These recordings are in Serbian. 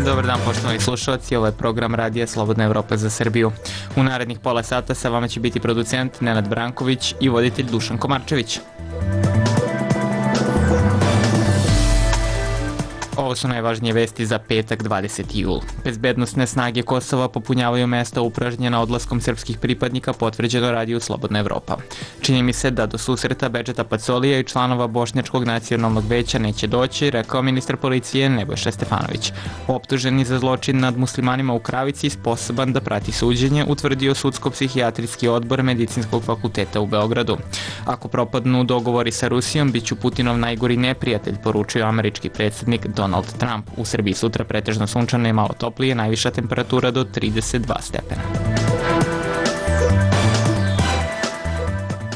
Dobar dan, poštovani slušalci, ovo je program Radija Slobodna Evropa za Srbiju. U narednih pola sata sa vama će biti producent Nenad Branković i voditelj Dušan Komarčević. Ovo su najvažnije vesti za petak 20. jul. Bezbednosne snage Kosova popunjavaju mesta upražnjena odlaskom srpskih pripadnika, potvrđeno Radiju Slobodna Evropa. Čini mi se da do susreta Bedžeta Pacolija i članova Bošnjačkog nacionalnog veća neće doći, rekao ministar policije Nebojša Stefanović. Optuženi za zločin nad muslimanima u Kravici, sposoban da prati suđenje, utvrdio Sudsko-psihijatrijski odbor Medicinskog fakulteta u Beogradu. Ako propadnu dogovori sa Rusijom, bit ću Putinov najgori neprijatelj, poručio američki predsjednik Donald Trump. U Srbiji sutra pretežno sunčano i malo toplije, najviša temperatura do 32 stepena.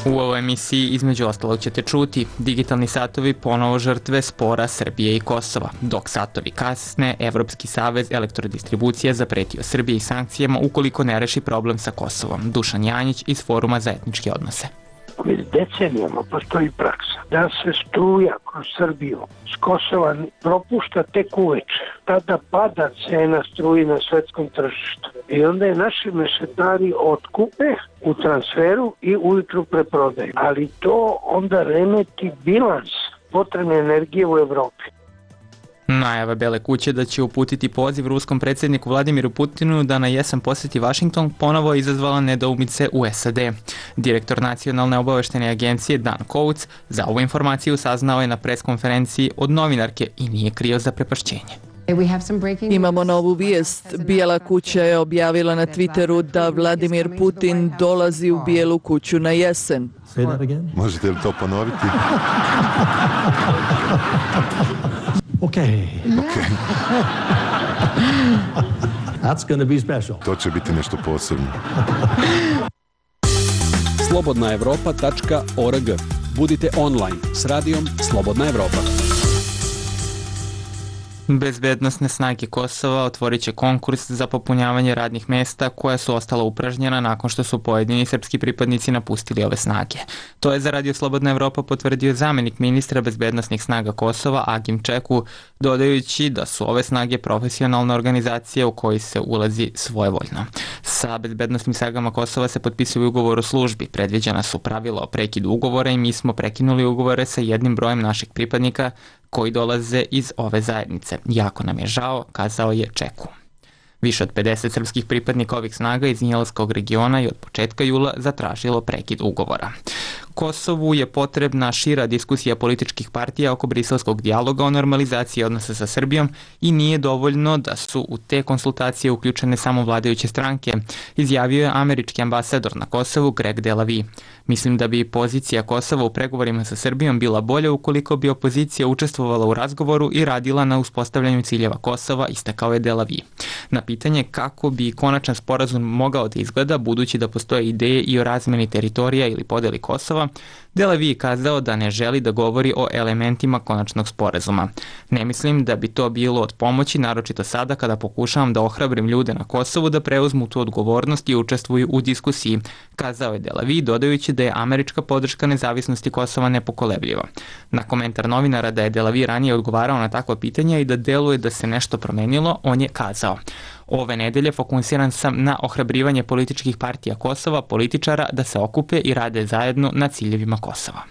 U ovoj emisiji između ostalog ćete čuti: digitalni satovi ponovo žrtve spora Srbije i Kosova. Dok satovi kasne, Evropski savez elektrodistribucije zapretio Srbiji sankcijama ukoliko ne reši problem sa Kosovom. Dušan Janjić iz Foruma za etničke odnose. Već decenijama postoji praksa da se struja kroz Srbiju s Kosova propušta tek uveče. Tada pada cena struji na svetskom tržištu. I onda je naši mešetari otkupe u transferu i ujutru preprodaju. Ali to onda remeti bilans potrebne energije u Evropi. Najava Bele kuće da će uputiti poziv ruskom predsjedniku Vladimiru Putinu da na jesen posjeti Vašington ponovo je izazvala nedoumice u SAD. Direktor Nacionalne obaveštene agencije Dan Coates za ovu informaciju saznao je na preskonferenciji od novinarke i nije krio zaprepašćenje. Imamo novu vijest. Bijela kuća je objavila na Twitteru da Vladimir Putin dolazi u Bijelu kuću na jesen. Možete li to ponoviti? Okay. That's going to be special. To će biti nešto posebno. slobodnaevropa.org. Budite online s radijom Slobodna Evropa. Bezbednosne snage Kosova otvorit će konkurs za popunjavanje radnih mesta koja su ostala upražnjena nakon što su pojedini srpski pripadnici napustili ove snage. To je za Radio Slobodna Evropa potvrdio zamjenik ministra bezbednosnih snaga Kosova Agim Čeku, dodajući da su ove snage profesionalna organizacija u kojoj se ulazi svojevoljno. Sa bezbednosnim snagama Kosova se potpisuje ugovor o službi, predviđena su pravila o prekidu ugovora i mi smo prekinuli ugovore sa jednim brojem naših pripadnika koji dolaze iz ove zajednice. Jako nam je žao, kazao je Čeku. Više od 50 srpskih pripadnika ovih snaga iz Njelskog regiona i od početka jula zatražilo prekid ugovora. Kosovu je potrebna šira diskusija političkih partija oko briselskog dijaloga o normalizaciji odnosa sa Srbijom i nije dovoljno da su u te konsultacije uključene samo vladajuće stranke, izjavio je američki ambasador na Kosovu Greg Delavi. Mislim da bi pozicija Kosova u pregovorima sa Srbijom bila bolja ukoliko bi opozicija učestvovala u razgovoru i radila na uspostavljanju ciljeva Kosova, istakao je Delavi. Na pitanje kako bi konačan sporazum mogao da izgleda, budući da postoje ideje i o razmeni teritorija ili podeli Kosova, Delavi je kazao da ne želi da govori o elementima konačnog sporazuma. Ne mislim da bi to bilo od pomoći, naročito sada kada pokušavam da ohrabrim ljude na Kosovu da preuzmu tu odgovornost i učestvuju u diskusiji, kazao je Delavi, dodajući da je američka podrška nezavisnosti Kosova nepokolebljiva. Na komentar novinara da je Delavi ranije odgovarao na takva pitanja i da deluje da se nešto promenilo, on je kazao: ove nedelje fokusiran sam na ohrabrivanje političkih partija Kosova, političara da se okupe i rade zajedno na ciljevima Kosova.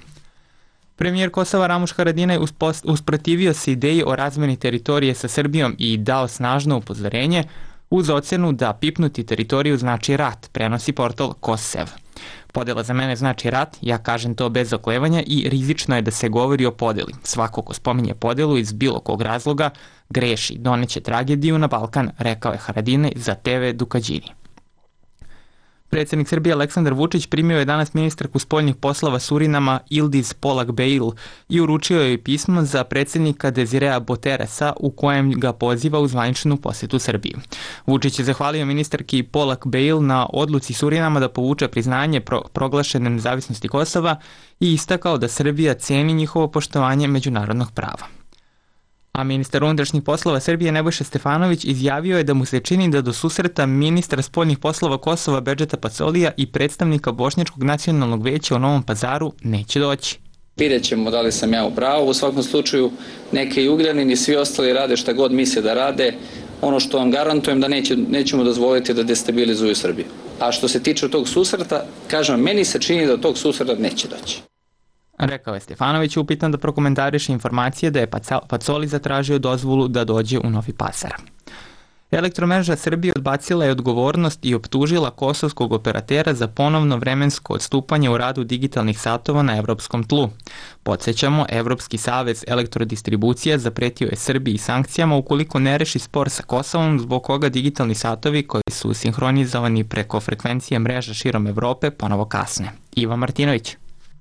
Premijer Kosova Ramuš Haradinaj usprotivio se ideji o razmeni teritorije sa Srbijom i dao snažno upozorenje uz ocenu da pipnuti teritoriju znači rat, prenosi portal Kosev. Podela za mene znači rat, ja kažem to bez oklevanja i rizično je da se govori o podeli. Svako ko spominje podelu iz bilo kog razloga greši, doneće tragediju na Balkan, rekao je Haradinaj za TV Dukađini. Predsjednik Srbije Aleksandar Vučić primio je danas ministarku spoljnih poslova Surinama Ildiz Polak Beil i uručio joj pismo za predsjednika Dezirea Boteresa u kojem ga poziva u zvaničnu posjetu Srbiji. Vučić je zahvalio ministarki Polak Beil na odluci Surinama da povuče priznanje proglašene nezavisnosti Kosova i istakao da Srbija ceni njihovo poštovanje međunarodnog prava. A ministar unutrašnjih poslova Srbije Nebojša Stefanović izjavio je da mu se čini da do susreta ministra spoljnih poslova Kosova Bedžeta Pacolija i predstavnika Bošnjačkog nacionalnog veća u Novom Pazaru neće doći. Vidjet ćemo da li sam ja u pravu. U svakom slučaju neke i Ugljanin i svi ostali rade šta god misle da rade. Ono što vam garantujem da nećemo dozvoliti da destabilizuju Srbiju. A što se tiče tog susreta, kažem, meni se čini da tog susreta neće doći. Rekao je Stefanović, upitan da prokomentariše informacije da je Pacoli zatražio dozvolu da dođe u Novi Pazar. Elektromreža Srbije odbacila je odgovornost i optužila kosovskog operatera za ponovno vremensko odstupanje u radu digitalnih satova na evropskom tlu. Podsjećamo, Evropski savez elektrodistribucija zapretio je Srbiji sankcijama ukoliko ne reši spor sa Kosovom, zbog koga digitalni satovi koji su sinhronizovani preko frekvencije mreža širom Evrope ponovo kasne. Iva Martinović.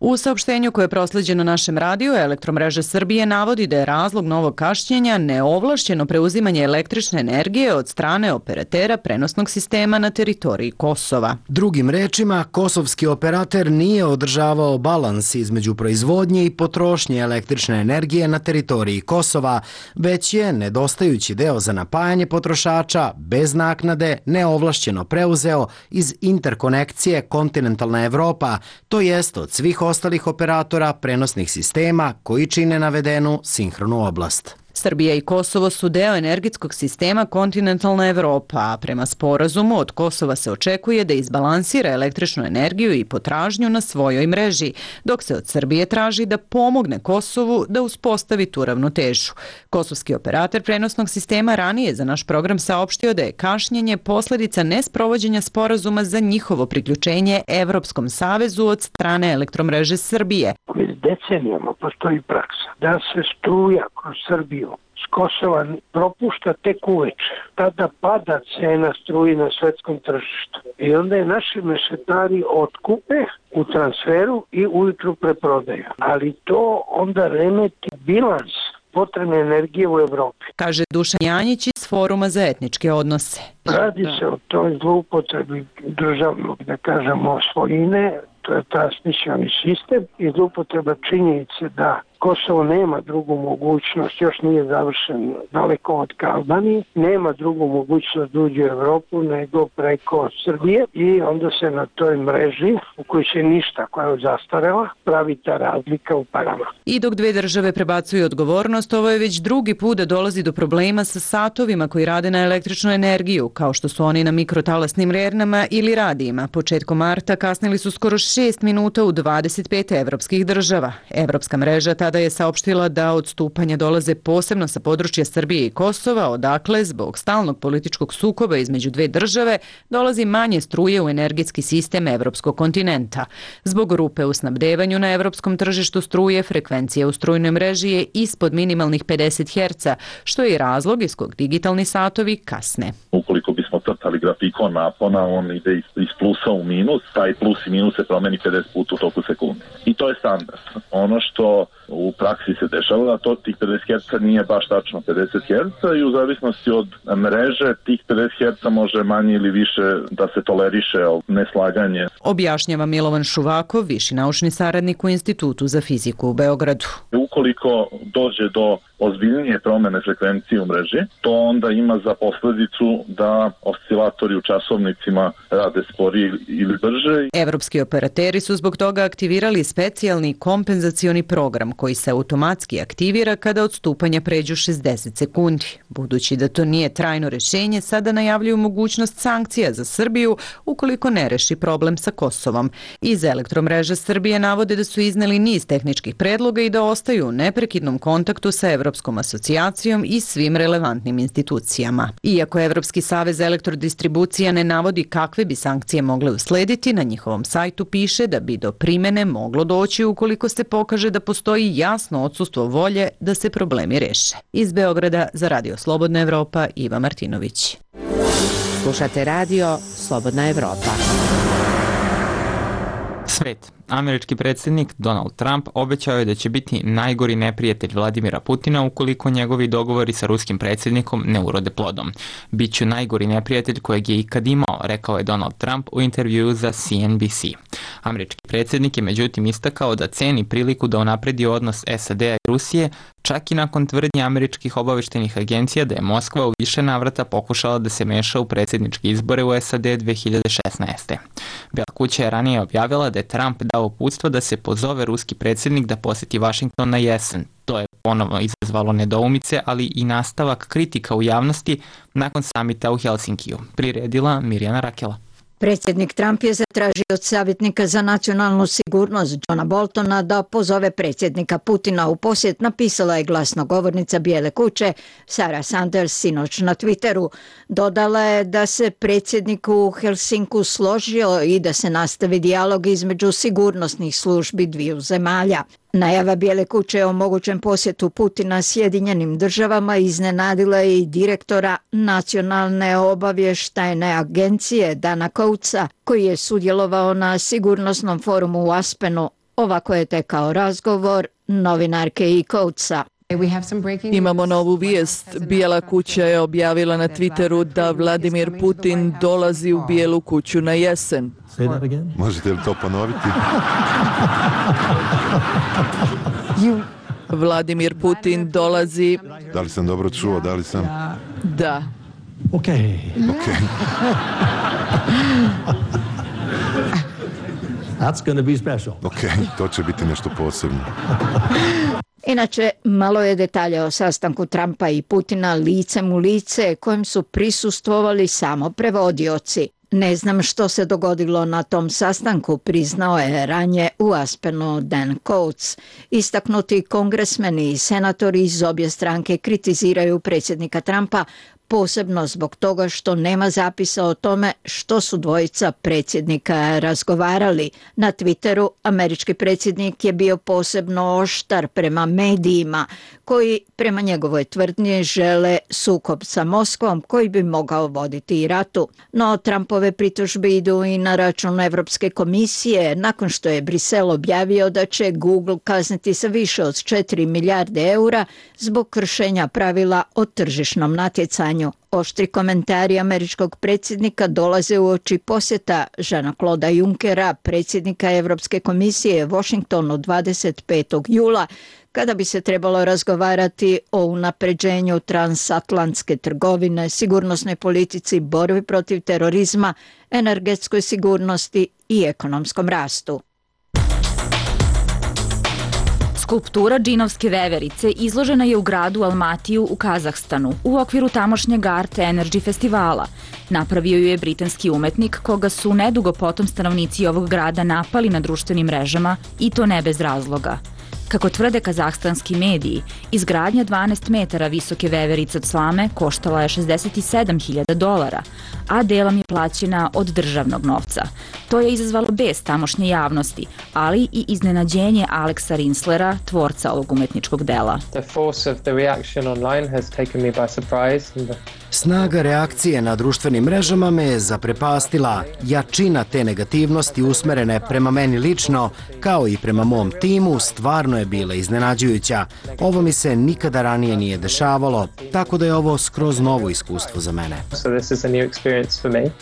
U saopštenju koje je prosleđeno našem radiju, Elektromreža Srbije navodi da je razlog novog kašnjenja neovlašćeno preuzimanje električne energije od strane operatera prenosnog sistema na teritoriji Kosova. Drugim rečima, kosovski operater nije održavao balans između proizvodnje i potrošnje električne energije na teritoriji Kosova, već je nedostajući deo za napajanje potrošača bez naknade neovlašćeno preuzeo iz interkonekcije Kontinentalna Evropa, to jest od svih ostalih operatora prenosnih sistema koji čine navedenu sinhronu oblast. Srbija i Kosovo su deo energetskog sistema Kontinentalna Evropa, a prema sporazumu od Kosova se očekuje da izbalansira električnu energiju i potražnju na svojoj mreži, dok se od Srbije traži da pomogne Kosovu da uspostavi tu ravnotežu. Kosovski operator prenosnog sistema ranije za naš program saopštio da je kašnjenje posledica nesprovođenja sporazuma za njihovo priključenje Evropskom savezu od strane Elektromreže Srbije. Već decenijama postoji praksa da se struja kroz Srbiju s Kosova propušta tek uveče. Tada pada cena struji na svetskom tržištu. I onda je naši mešetari otkupe u transferu i ujutru preprodaju. Ali to onda remeti bilans potrebne energije u Evropi. Kaže Dušan Janjić iz Foruma za etničke odnose. Radi se o toj zloupotrebi državnog, da kažemo, svojine, to je transmisioni sistem i zloupotreba činjenice da Kosovo nema drugu mogućnost, još nije završen daleko od Albanije, nema drugu mogućnost da uđe u Evropu nego preko Srbije i onda se na toj mreži, u kojoj se ništa, koja je zastarela, pravi ta razlika u parama. I dok dve države prebacuju odgovornost, ovo je već drugi put da dolazi do problema sa satovima koji rade na električnu energiju, kao što su oni na mikrotalasnim rernama ili radijima. Početkom marta kasnili su skoro 6 minuta u 25 evropskih država. Evropska mreža tada je saopštila da odstupanja dolaze posebno sa područja Srbije i Kosova, odakle, zbog stalnog političkog sukoba između dve države, dolazi manje struje u energetski sistem evropskog kontinenta. Zbog rupe u snabdevanju na evropskom tržištu struje, frekvencija u strujnoj mreži je ispod minimalnih 50 Hz, što je i razlog iz kog digitalni satovi kasne. Ukoliko bismo crtali grafikon napona, on ide iz plusa u minus, taj plus i minus se promeni 50 puta u toku sekunde. I to je standard. Ono što u praksi se dešava, a to tih 50 Hz nije baš tačno 50 Hz i u zavisnosti od mreže tih 50 Hz može manje ili više da se toleriše neslaganje. Objašnjava Milovan Šuvakov, viši naučni saradnik u Institutu za fiziku u Beogradu. Ukoliko dođe do ozbiljnije promene frekvencije u mreži, to onda ima za posledicu da oscilatori u časovnicima rade sporije ili brže. Evropski operateri su zbog toga aktivirali specijalni kompenzacioni program koji se automatski aktivira kada odstupanja pređu 60 sekundi. Budući da to nije trajno rešenje, sada najavljuju mogućnost sankcija za Srbiju ukoliko ne reši problem sa Kosovom. Iz Elektromreža Srbije navode da su izneli niz tehničkih predloga i da ostaju u neprekidnom kontaktu sa Evropskom asocijacijom i svim relevantnim institucijama. Iako Evropski savez elektrodistribucija ne navodi kakve bi sankcije mogle uslediti, na njihovom sajtu piše da bi do primene moglo doći ukoliko se pokaže da postoji jasno odsustvo volje da se problemi reše. Iz Beograda za Radio Slobodna Evropa, Iva Martinović. Slušate radio Slobodna Evropa. Svet. Američki predsjednik Donald Trump obećao je da će biti najgori neprijatelj Vladimira Putina ukoliko njegovi dogovori sa ruskim predsjednikom ne urode plodom. Biću najgori neprijatelj kojeg je ikad imao, rekao je Donald Trump u intervjuu za CNBC. Američki predsjednik je međutim istakao da ceni priliku da unapredi odnos SAD-a i Rusije, čak i nakon tvrdnje američkih obaveštajnih agencija da je Moskva u više navrata pokušala da se meša u predsjedničke izbore u SAD 2016. Bela kuća je ranije objavila da je Trump dao uputstvo da se pozove ruski predsjednik da poseti Vašington na jesen. To je ponovno izazvalo nedoumice, ali i nastavak kritika u javnosti nakon samita u Helsinkiju, priredila Mirjana Rakela. Predsjednik Trump je zatražio od savjetnika za nacionalnu sigurnost Johna Boltona da pozove predsjednika Putina u posjet, napisala je glasnogovornica Bijele kuće Sarah Sanders sinoć na Twitteru. Dodala je da se predsjednik u Helsinku složio i da se nastavi dijalog između sigurnosnih službi dviju zemalja. Najava Bijele kuće o mogućem posjetu Putina Sjedinjenim državama iznenadila je i direktora Nacionalne obavještajne agencije Dana Coatesa, koji je sudjelovao na sigurnosnom forumu u Aspenu. Ovako je tekao razgovor novinarke i Coatesa. Imamo novu vijest. Bijela kuća je objavila na Twitteru da Vladimir Putin dolazi u Bijelu kuću na jesen. Možete li to ponoviti? Vladimir Putin dolazi... Da li sam dobro čuo? Da li sam... Da. Okay. That's going to be special. To će biti nešto posebno. Inače, malo je detalja o sastanku Trumpa i Putina licem u lice kojem su prisustvovali samo prevodioci. Ne znam što se dogodilo na tom sastanku, priznao je ranije u Aspenu Dan Coates. Istaknuti kongresmeni i senatori iz obje stranke kritiziraju predsjednika Trumpa, posebno zbog toga što nema zapisa o tome što su dvojica predsjednika razgovarali. Na Twitteru američki predsjednik je bio posebno oštar prema medijima, koji prema njegovoj tvrdnji žele sukob sa Moskvom koji bi mogao voditi i ratu. No Trumpove pritužbe idu i na račun Evropske komisije nakon što je Brisel objavio da će Google kazniti sa više od 4 milijarde eura zbog kršenja pravila o tržišnom natjecanju. Oštri komentari američkog predsjednika dolaze uoči posjeta Jeana-Clauda Junckera, predsjednika Evropske komisije Washingtonu 25. jula, kada bi se trebalo razgovarati o unapređenju transatlantske trgovine, sigurnosnoj politici, borbi protiv terorizma, energetskoj sigurnosti i ekonomskom rastu. Skulptura džinovske veverice izložena je u gradu Almatiju u Kazahstanu u okviru tamošnjeg Art Energy festivala. Napravio ju je britanski umetnik koga su nedugo potom stanovnici ovog grada napali na društvenim mrežama i to ne bez razloga. Kako tvrde kazahstanski mediji, izgradnja 12 metara visoke veverice od slame koštala je $67.000, a delom je plaćena od državnog novca. To je izazvalo bes tamošnje javnosti, ali i iznenađenje Alexa Rinslera, tvorca ovog umetničkog dela. Snaga reakcije na društvenim mrežama me je zaprepastila. Jačina te negativnosti usmerene prema meni lično, kao i prema mom timu, stvarno je bila iznenađujuća. Ovo mi se nikada ranije nije dešavalo, tako da je ovo skroz novo iskustvo za mene.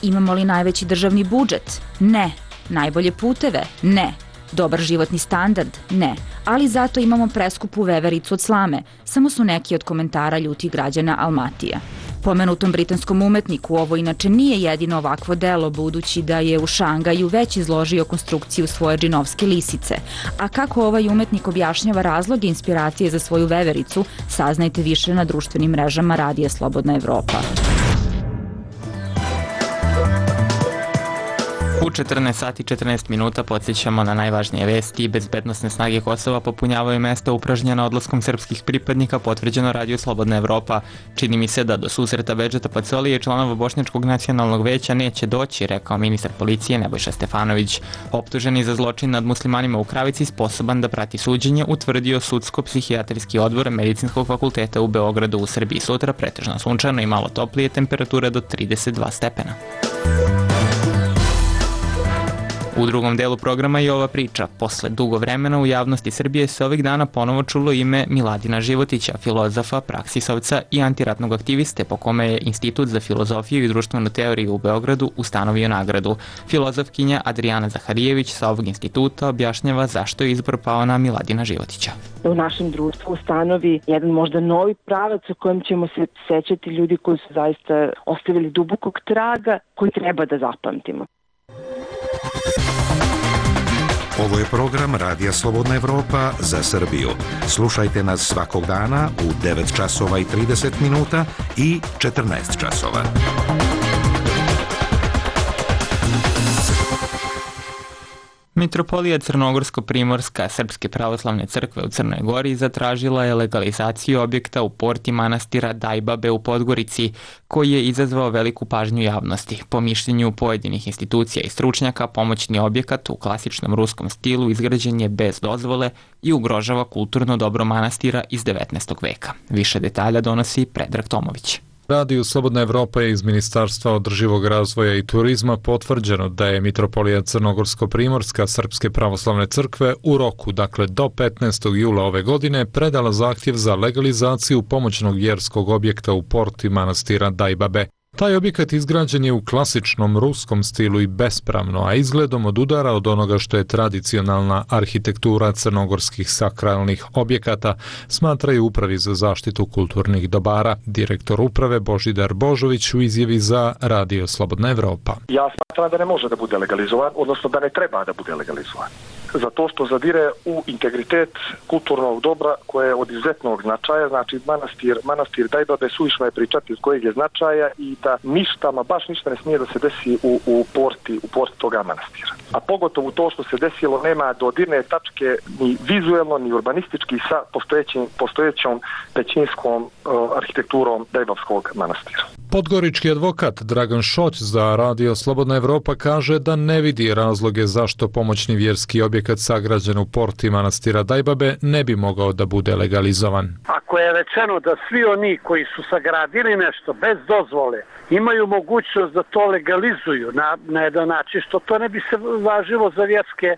Imamo li najveći državni budžet? Ne. Najbolje puteve? Ne. Dobar životni standard? Ne. Ali zato imamo preskupu vevericu od slame. Samo su neki od komentara ljutih građana Almatija. Pomenutom britanskom umetniku ovo inače nije jedino ovakvo delo, budući da je u Šangaju već izložio konstrukciju svoje džinovske lisice. A kako ovaj umetnik objašnjava razloge inspiracije za svoju vevericu, saznajte više na društvenim mrežama Radija Slobodna Evropa. U 14 sati 14 minuta podsjećamo na najvažnije vesti. Bezbednosne snage Kosova popunjavaju mesta upražnjena odlaskom srpskih pripadnika, potvrđeno Radiju Slobodna Evropa. Čini mi se da do susreta Bedžeta Pacolije i članova Bošnjačkog nacionalnog veća neće doći, rekao ministar policije Nebojša Stefanović. Optuženi za zločin nad muslimanima u Kravici, sposoban da prati suđenje, utvrdio Sudsko-psihijatrijski odbor Medicinskog fakulteta u Beogradu. U Srbiji sutra pretežno sunčano i malo toplije, temperature do 32 stepena. U drugom delu programa je ova priča. Posle dugo vremena u javnosti Srbije se ovih dana ponovo čulo ime Miladina Životića, filozofa, praksisovca i antiratnog aktiviste, po kome je Institut za filozofiju i društvenu teoriju u Beogradu ustanovio nagradu. Filozofkinja Adrijana Zaharijević sa ovog instituta objašnjava zašto je izbor pao na Miladina Životića. U našem društvu ustanovi jedan možda novi pravac u kojem ćemo se sećati ljudi koji su zaista ostavili dubokog traga koji treba da zapamtimo. Ovo je program Radija Slobodna Evropa za Srbiju. Slušajte nas svakog dana u 9 časova i 30 minuta i 14 časova. Mitropolija Crnogorsko-Primorska Srpske pravoslavne crkve u Crnoj Gori zatražila je legalizaciju objekta u porti manastira Dajbabe u Podgorici, koji je izazvao veliku pažnju javnosti. Po mišljenju pojedinih institucija i stručnjaka, pomoćni objekat u klasičnom ruskom stilu izgrađen je bez dozvole i ugrožava kulturno dobro manastira iz 19. veka. Više detalja donosi Predrag Tomović. Radiju Slobodna Evropa je iz Ministarstva održivog razvoja i turizma potvrđeno da je Mitropolija Crnogorsko-Primorska Srpske pravoslavne crkve u roku, dakle do 15. jula ove godine, predala zahtjev za legalizaciju pomoćnog vjerskog objekta u porti manastira Dajbabe. Taj objekat izgrađen je u klasičnom ruskom stilu i bespravno, a izgledom odudara od onoga što je tradicionalna arhitektura crnogorskih sakralnih objekata, smatraju Upravi za zaštitu kulturnih dobara. Direktor uprave Božidar Božović u izjavi za Radio Slobodna Evropa. Ja smatram da ne može da bude legalizovan, odnosno da ne treba da bude legalizovan. Zato što zadire u integritet kulturnog dobra koje je od izuzetnog značaja, znači manastir Dajbabe suvišno je pričati od kojeg je značaja i da ništa, baš ništa ne smije da se desi u porti toga manastira. A pogotovo to što se desilo nema dodirne tačke ni vizuelno ni urbanistički sa postojećom pećinskom arhitekturom Dajbavskog manastira. Podgorički advokat Dragan Šoć za Radio Slobodna Evropa kaže da ne vidi razloge zašto pomoćni vjerski objekat sagrađen u porti manastira Dajbabe ne bi mogao da bude legalizovan. Ako je rečeno da svi oni koji su sagradili nešto bez dozvole imaju mogućnost da to legalizuju na jedan način, što to ne bi se važilo za vjerske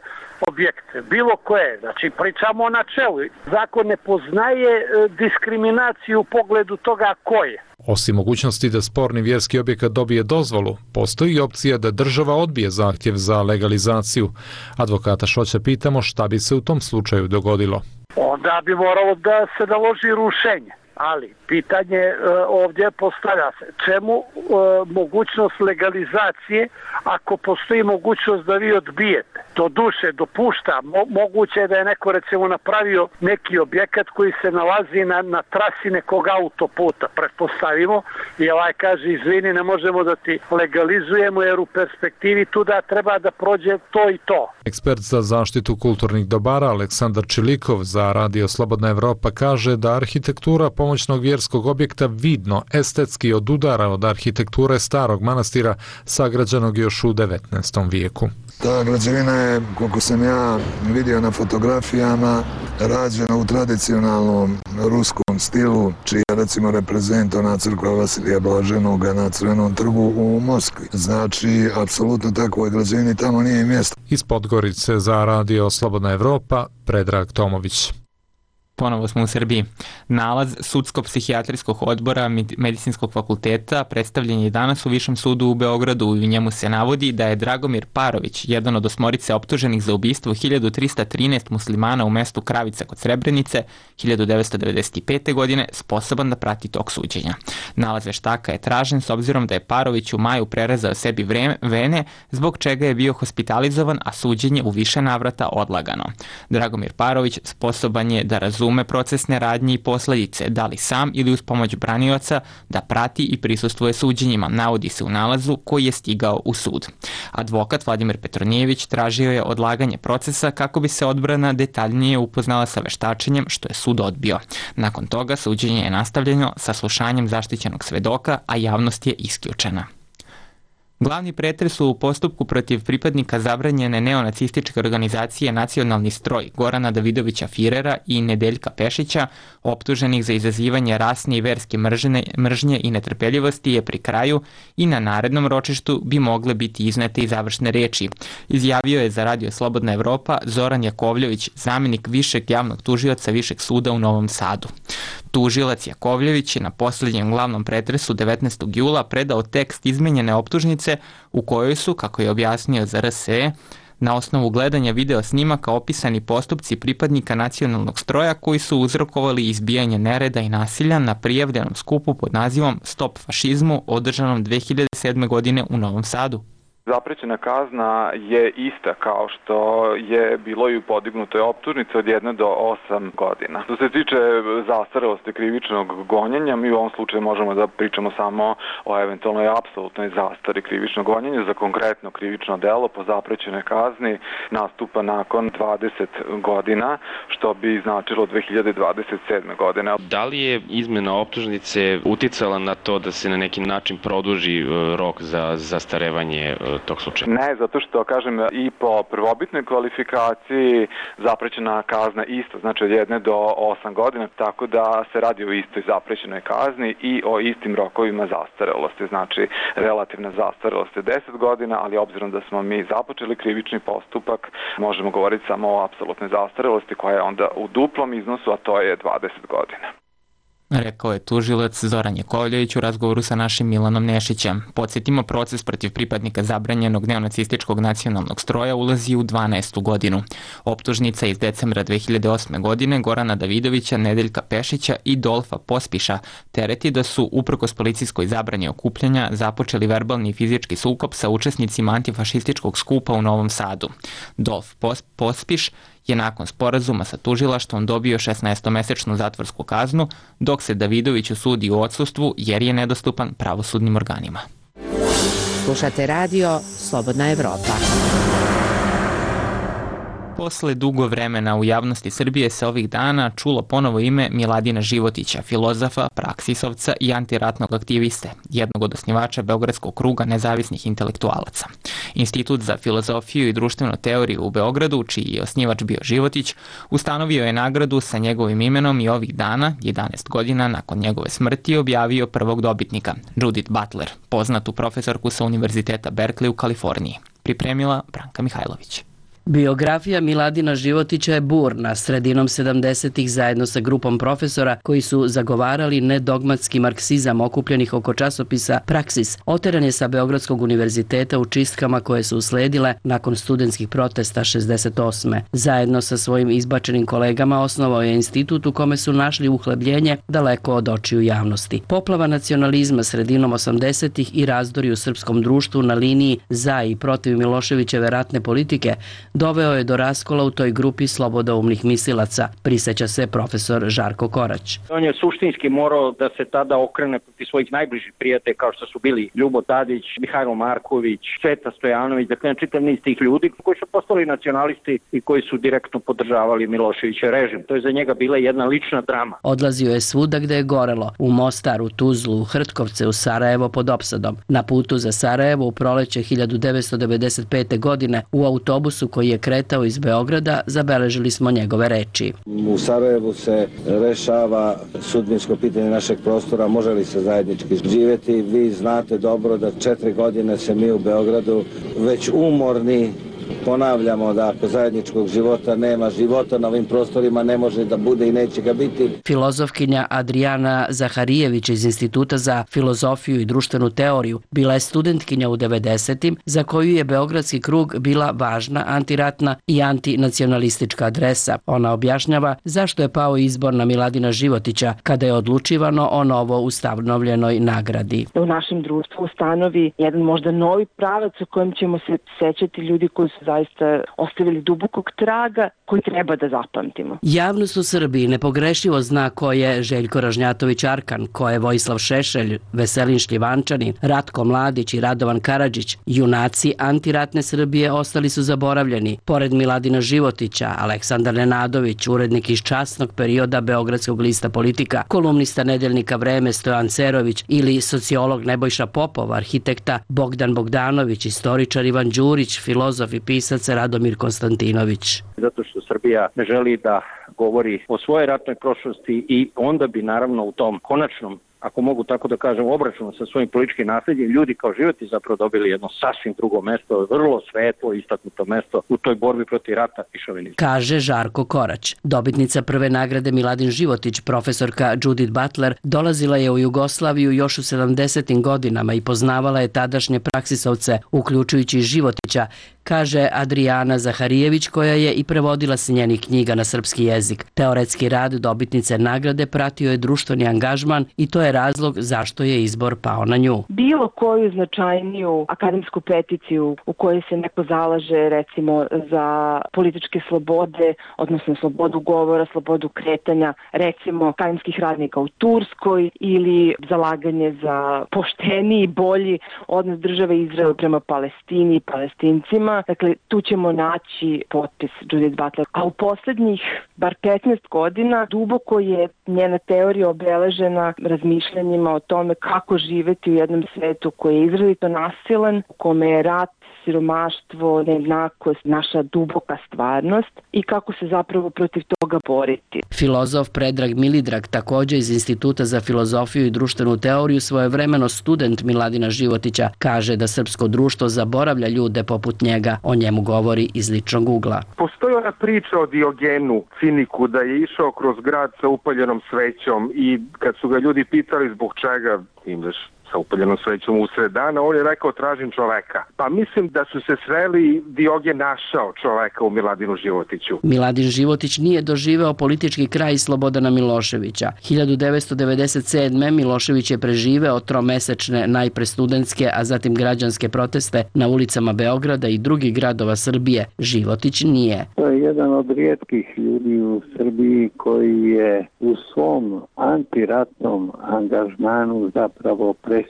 objekte, bilo koje. Znači, pričamo o načelu. Zakon ne poznaje diskriminaciju u pogledu toga ko je. Osim mogućnosti da sporni vjerski objekat dobije dozvolu, postoji opcija da država odbije zahtjev za legalizaciju. Advokata Šoća pitamo šta bi se u tom slučaju dogodilo. Onda bi moralo da se naloži rušenje. Ali pitanje ovdje postavlja se čemu mogućnost legalizacije ako postoji mogućnost da vi odbijete. To duše dopušta, moguće je da je neko recimo napravio neki objekat koji se nalazi na trasi nekog autoputa, pretpostavimo, i ovaj kaže izvini ne možemo da ti legalizujemo jer u perspektivi tu da treba da prođe to i to. Ekspert za zaštitu kulturnih dobara Aleksandar Čilikov za Radio Slobodna Evropa kaže da arhitektura pomoćnog vjerskog objekta vidno estetski odudara od arhitekture starog manastira sagrađenog još u 19. vijeku. Ta građevina je, koliko sam ja vidio na fotografijama, rađena u tradicionalnom ruskom stilu, čija recimo reprezentovana crkva Vasilija Blaženoga na Crvenom trgu u Moskvi. Znači, apsolutno takvoj građevini tamo nije mjesto. Iz Podgorice za Radio Slobodna Evropa, Predrag Tomović. Ponovo smo u Srbiji. Nalaz Sudsko-psihijatrijskog odbora Medicinskog fakulteta predstavljen je danas u Višem sudu u Beogradu i u njemu se navodi da je Dragomir Parović, jedan od 8 optuženih za ubistvo 1313 muslimana u mestu Kravica kod Srebrenice 1995. godine, sposoban da prati tok suđenja. Nalaz veštaka je tražen s obzirom da je Parović u maju prerezao sebi vene, zbog čega je bio hospitalizovan, a suđenje u više navrata odlagano. Dragomir Parović sposoban je da razume procesne radnje i posljedice, da li sam ili uz pomoć branioca, da prati i prisustvuje suđenjima, navodi se u nalazu koji je stigao u sud. Advokat Vladimir Petronijević tražio je odlaganje procesa kako bi se odbrana detaljnije upoznala sa veštačenjem, što je sud odbio. Nakon toga suđenje je nastavljeno sa slušanjem zaštićenog svedoka, a javnost je isključena. Glavni pretres u postupku protiv pripadnika zabranjene neonacističke organizacije Nacionalni stroj Gorana Davidovića Firera i Nedeljka Pešića, optuženih za izazivanje rasne i verske mržnje i netrpeljivosti, je pri kraju i na narednom ročištu bi mogle biti iznete i završne reči. Izjavio je za Radio Slobodna Evropa Zoran Jakovljević, zamjenik višeg javnog tužioca Višeg suda u Novom Sadu. Tužilac Jakovljević je na posljednjem glavnom pretresu 19. jula predao tekst izmenjene optužnice u kojoj su, kako je objasnio za RSE, na osnovu gledanja video snimaka opisani postupci pripadnika nacionalnog stroja koji su uzrokovali izbijanje nereda i nasilja na prijavljenom skupu pod nazivom Stop fašizmu održanom 2007. godine u Novom Sadu. Zaprećena kazna je ista kao što je bilo i u podignutoj optužnici od 1 do 8 godina. Što se tiče zastarelosti krivičnog gonjenja, mi u ovom slučaju možemo da pričamo samo o eventualnoj apsolutnoj zastari krivičnog gonjenja. Za konkretno krivično delo po zaprećenoj kazni nastupa nakon 20 godina, što bi značilo 2027. godine. Da li je izmena optužnice uticala na to da se na neki način produži rok za zastarevanje tog slučaja? Ne, zato što, kažem, i po prvobitnoj kvalifikaciji zaprećena kazna isto, znači od 1 do 8 godina, tako da se radi o istoj zaprećenoj kazni i o istim rokovima zastarelosti. Znači, relativna zastarelost je 10 godina, ali obzirom da smo mi započeli krivični postupak, možemo govoriti samo o apsolutnoj zastarelosti koja je onda u duplom iznosu, a to je 20 godina. Rekao je tužilac Zoran Jakovljević u razgovoru sa našim Milanom Nešićem. Podsjetimo, proces protiv pripadnika zabranjenog neonacističkog nacionalnog stroja ulazi u 12. godinu. Optužnica iz decembra 2008. godine Gorana Davidovića, Nedeljka Pešića i Dolfa Pospiša tereti da su, uprkos policijskoj zabrani okupljanja, započeli verbalni i fizički sukob sa učesnicima antifašističkog skupa u Novom Sadu. Dolf Pospiš je nakon sporazuma sa tužilaštvom dobio 16-mesečnu zatvorsku kaznu, dok se Davidoviću sudi u odsustvu jer je nedostupan pravosudnim organima. Slušate radio Slobodna Evropa. Posle dugo vremena u javnosti Srbije se ovih dana čulo ponovo ime Miladina Životića, filozofa, praksisovca i antiratnog aktiviste, jednog od osnivača Beogradskog kruga nezavisnih intelektualaca. Institut za filozofiju i društvenu teoriju u Beogradu, čiji je osnivač bio Životić, ustanovio je nagradu sa njegovim imenom i ovih dana, 11 godina nakon njegove smrti, objavio prvog dobitnika, Judith Butler, poznatu profesorku sa Univerziteta Berkeley u Kaliforniji. Pripremila Branka Mihajlović. Biografija Miladina Životića je burna. Sredinom 70-ih zajedno sa grupom profesora koji su zagovarali nedogmatski marksizam okupljenih oko časopisa Praksis, oteran je sa Beogradskog univerziteta u čistkama koje su usledile nakon studentskih protesta 68. Zajedno sa svojim izbačenim kolegama osnovao je institut u kome su našli uhlebljenje daleko od očiju javnosti. Poplava nacionalizma sredinom 80-ih i razdori u srpskom društvu na liniji za i protiv Miloševićeve ratne politike doveo je do raskola u toj grupi slobodoumnih mislilaca, priseća se profesor Žarko Korać. On je suštinski morao da se tada okrene protiv svojih najbližih prijatelja kao što su bili Ljubo Tadić, Mihajlo Marković, Sveta Stojanović, dakle čitav niz tih ljudi koji su postali nacionalisti i koji su direktno podržavali Miloševićev režim. To je za njega bila jedna lična drama. Odlazio je svuda gde je gorelo, u Mostar, u Tuzlu, u Hrtkovce, u Sarajevo pod opsadom. Na putu za Sarajevo u proleće 1995. godine u autobusu koji je kretao iz Beograda, zabeležili smo njegove reči. U Sarajevu se rešava sudbinsko pitanje našeg prostora, može li se zajednički živjeti. Vi znate dobro da 4 godine se mi u Beogradu već umorni ponavljamo da ako zajedničkog života nema, života na ovim prostorima ne može da bude i neće ga biti. Filozofkinja Adriana Zaharijević iz Instituta za filozofiju i društvenu teoriju bila je studentkinja u 90-im za koju je Beogradski krug bila važna antiratna i antinacionalistička adresa. Ona objašnjava zašto je pao izbor na Miladina Životića kada je odlučivano o novo ustanovljenoj nagradi. U našem društvu ustanovi jedan možda novi pravac u kojem ćemo se sećati ljudi koji su zaista ostavili dubokog traga koji treba da zapamtimo. Javnost u Srbiji nepogrešivo zna ko je Željko Ražnjatović Arkan, ko je Vojislav Šešelj, Veselin Šljivančanin, Ratko Mladić i Radovan Karadžić. Junaci antiratne Srbije ostali su zaboravljeni. Pored Miladina Životića, Aleksandar Nenadović, urednik iz časnog perioda Beogradskog lista Politika, kolumnista nedeljnika Vreme Stojan Cerović ili sociolog Nebojša Popov, arhitekta Bogdan Bogdanović, istoričar Ivan Đurić, filozof i pisac Radomir Konstantinović. Zato što Srbija ne želi da govori o svojoj ratnoj prošlosti i onda bi naravno u tom konačnom, ako mogu tako da kažem, obračunu sa svojim političkim nasljedjem, ljudi kao Životić zapravo dobili jedno sasvim drugo mesto, vrlo svetlo istaknuto mesto u toj borbi protiv rata i šovinizma. Kaže Žarko Korać. Dobitnica prve nagrade Miladin Životić, profesorka Judith Butler, dolazila je u Jugoslaviju još u 70. godinama i poznavala je tadašnje praksisovce, uključujući Životića, kaže Adriana Zaharijević, koja je i prevodila se njenih knjiga na srpski jezik. Teoretski rad dobitnice nagrade pratio je društveni angažman i to je razlog zašto je izbor pao na nju. Bilo koju značajniju akademsku peticiju u kojoj se neko zalaže recimo za političke slobode, odnosno slobodu govora, slobodu kretanja, recimo akademskih radnika u Turskoj ili zalaganje za pošteniji, bolji odnos države Izrael prema Palestini i Palestincima. Dakle, tu ćemo naći potpis Judith Butler. A u poslednjih bar 15 godina duboko je njena teorija obeležena razmišljanjima o tome kako živeti u jednom svetu koji je izrazito nasilan, u kome je rat, siromaštvo, nejednakost, naša duboka stvarnost i kako se zapravo protiv toga boriti. Filozof Predrag Milidrag, također iz Instituta za filozofiju i društvenu teoriju, svojevremeno student Miladina Životića, kaže da srpsko društvo zaboravlja ljude poput njega. O njemu govori iz ličnog ugla. Postoji ona priča o Diogenu, ciniku, da je išao kroz grad sa upaljenom svećom i kad su ga ljudi pitali zbog čega ideš sa upaljenom svećom usred dana, on je rekao tražim čoveka. Pa mislim da su se sreli, Diogen našao čoveka u Miladinu Životiću. Miladin Životić nije doživeo politički kraj Slobodana Miloševića. 1997. Milošević je preživeo tromesečne najpre studentske, a zatim građanske proteste na ulicama Beograda i drugih gradova Srbije. Životić nije. To je jedan od rijetkih ljudi u Srbiji koji je u svom antiratnom angažmanu zapravo presisnuo.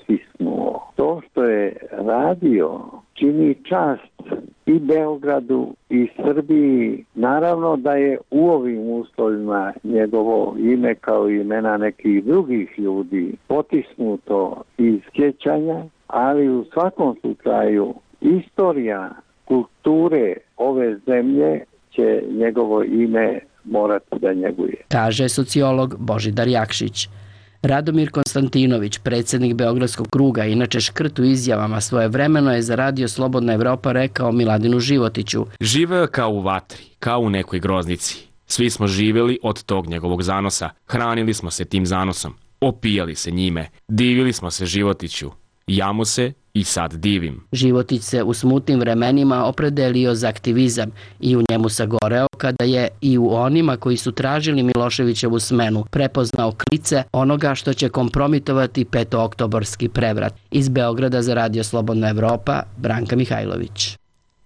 To što je radio čini čast i Beogradu i Srbiji. Naravno da je u ovim uslovima njegovo ime kao i imena nekih drugih ljudi potisnuto iz sjećanja, ali u svakom slučaju istorija kulture ove zemlje će njegovo ime morati da njeguje. Kaže sociolog Božidar Jakšić. Radomir Konstantinović, predsjednik Beogradskog kruga, inače škrt u izjavama, svojevremeno je za Radio Slobodna Evropa rekao Miladinu Životiću: živeo je kao u vatri, kao u nekoj groznici. Svi smo živjeli od tog njegovog zanosa, hranili smo se tim zanosom, opijali se njime, divili smo se Životiću. Ja mu se i sad divim. Životić se u smutnim vremenima opredelio za aktivizam i u njemu sagoreo kada je i u onima koji su tražili Miloševićevu smenu prepoznao klice onoga što će kompromitovati petooktobarski prevrat. Iz Beograda za Radio Slobodna Evropa, Branka Mihajlović.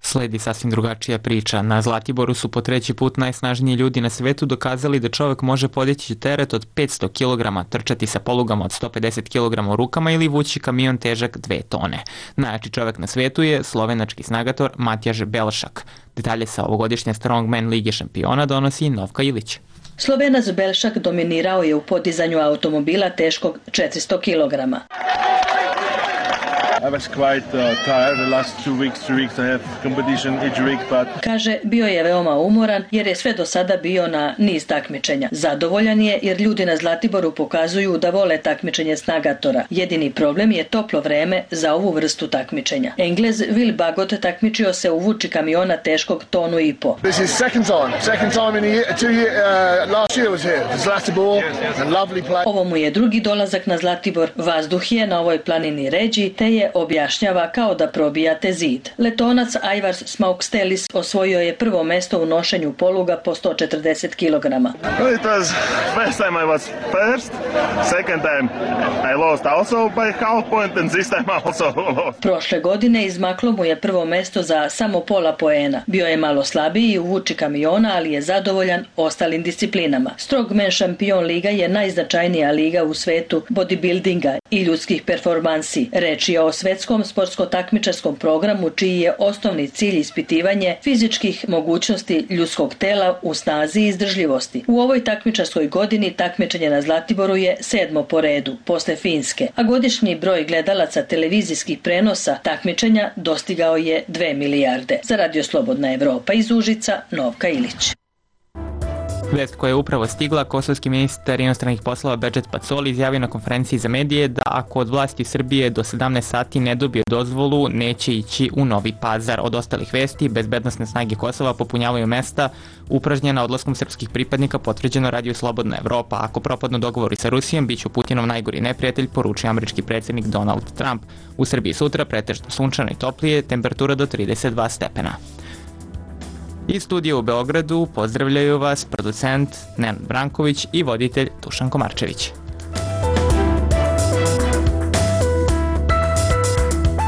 Sledi sasvim drugačija priča. Na Zlatiboru su po treći put najsnažniji ljudi na svetu dokazali da čovjek može podići teret od 500 kg, trčati sa polugama od 150 kg u rukama ili vući kamion težak 2 tone. Najjači čovjek na svetu je slovenački snagator Matjaž Belšak. Detalje sa ovogodišnje Strongman Lige šampiona donosi Novka Ilić. Slovenac Belšak dominirao je u podizanju automobila teškog 400 kg. I was quite tired the last 2 weeks, 3 weeks I have competition each week, but... Kaže, bio je veoma umoran jer je sve do sada bio na niz takmičenja. Zadovoljan je jer ljudi na Zlatiboru pokazuju da vole takmičenje snagatora. Jedini problem je toplo vreme za ovu vrstu takmičenja. Englez Will Bagot takmičio se u vuči kamiona teškog 1,5 tonu. This is second time in a year, 2 years, last year was here, Zlatibor, and lovely place. Ovo mu je drugi dolazak na Zlatibor. Vazduh je na ovoj planini ređi, te je objašnjava kao da probijate zid. Letonac Aivars Smaukstelis osvojio je prvo mesto u nošenju poluga po 140 kg. It was first time I was first, second time I lost also by half point and this time I also lost. Prošle godine izmaklo mu je prvo mesto za samo pola poena. Bio je malo slabiji u vuči kamiona, ali je zadovoljan ostalim disciplinama. Strongman šampion liga je najznačajnija liga u svetu bodybuildinga i ljudskih performansi. Reč je o svetskom sportsko-takmičarskom programu čiji je osnovni cilj ispitivanje fizičkih mogućnosti ljudskog tela u snazi i izdržljivosti. U ovoj takmičarskoj godini takmičenje na Zlatiboru je 7. po redu, posle Finske, a godišnji broj gledalaca televizijskih prenosa takmičenja dostigao je 2 milijarde. Za Radio Slobodna Evropa iz Užica, Novka Ilić. Vest koja je upravo stigla, kosovski ministar inostranih poslova Bedžet Pacoli izjavio na konferenciji za medije da ako od vlasti Srbije do 17 sati ne dobije dozvolu, neće ići u Novi Pazar. Od ostalih vesti, bezbednosne snage Kosova popunjavaju mesta upražnjena odlaskom srpskih pripadnika, potvrđeno Radio Slobodna Evropa. Ako propadnu dogovori sa Rusijom, bit će Putinov najgori neprijatelj, poručuje američki predsjednik Donald Trump. U Srbiji sutra pretežno sunčano i toplije, temperatura do 32 stepena. Iz studija u Beogradu pozdravljaju vas producent Nenad Branković i voditelj Dušan Komarčević.